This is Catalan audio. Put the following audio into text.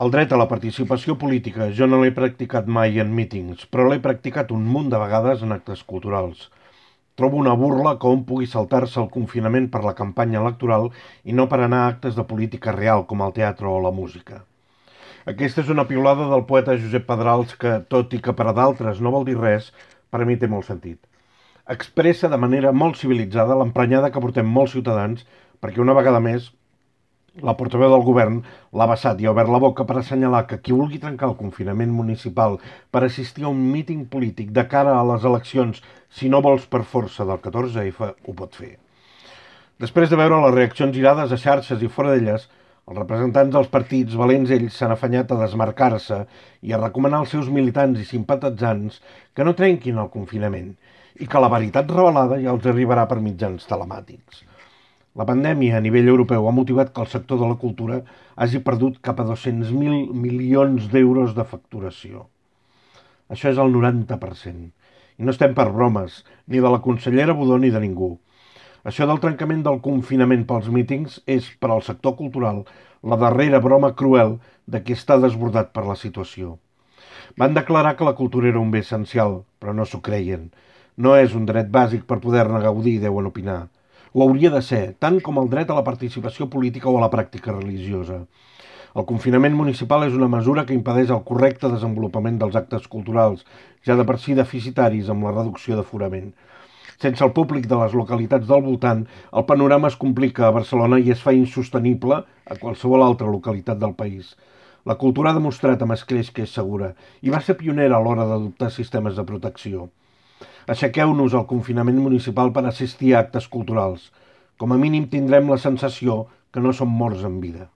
El dret a la participació política jo no l'he practicat mai en mítings, però l'he practicat un munt de vegades en actes culturals. Trobo una burla que hom pugui saltar-se el confinament per la campanya electoral i no per anar a actes de política real com el teatre o la música. Aquesta és una piulada del poeta Josep Pedrals que, tot i que per a d'altres no vol dir res, per a mi té molt sentit. Expressa de manera molt civilitzada l'emprenyada que portem molts ciutadans perquè una vegada més la portaveu del govern l'ha vessat i ha obert la boca per assenyalar que qui vulgui trencar el confinament municipal per assistir a un míting polític de cara a les eleccions, si no vols per força del 14F, ho pot fer. Després de veure les reaccions irades a xarxes i fora d'elles, els representants dels partits, valents ells, s'han afanyat a desmarcar-se i a recomanar als seus militants i simpatitzants que no trenquin el confinament i que la veritat revelada ja els arribarà per mitjans telemàtics. La pandèmia a nivell europeu ha motivat que el sector de la cultura hagi perdut cap a 200.000 milions d'euros de facturació. Això és el 90%. I no estem per bromes, ni de la consellera Budó ni de ningú. Això del trencament del confinament pels mítings és, per al sector cultural, la darrera broma cruel de qui està desbordat per la situació. Van declarar que la cultura era un bé essencial, però no s'ho creien. No és un dret bàsic per poder-ne gaudir, deuen opinar. Ho hauria de ser, tant com el dret a la participació política o a la pràctica religiosa. El confinament municipal és una mesura que impedeix el correcte desenvolupament dels actes culturals, ja de per si deficitaris amb la reducció d'aforament. Sense el públic de les localitats del voltant, el panorama es complica a Barcelona i es fa insostenible a qualsevol altra localitat del país. La cultura ha demostrat amb escreix que és segura i va ser pionera a l'hora d'adoptar sistemes de protecció. Aixequeu-nos al confinament municipal per assistir a actes culturals. Com a mínim tindrem la sensació que no som morts en vida.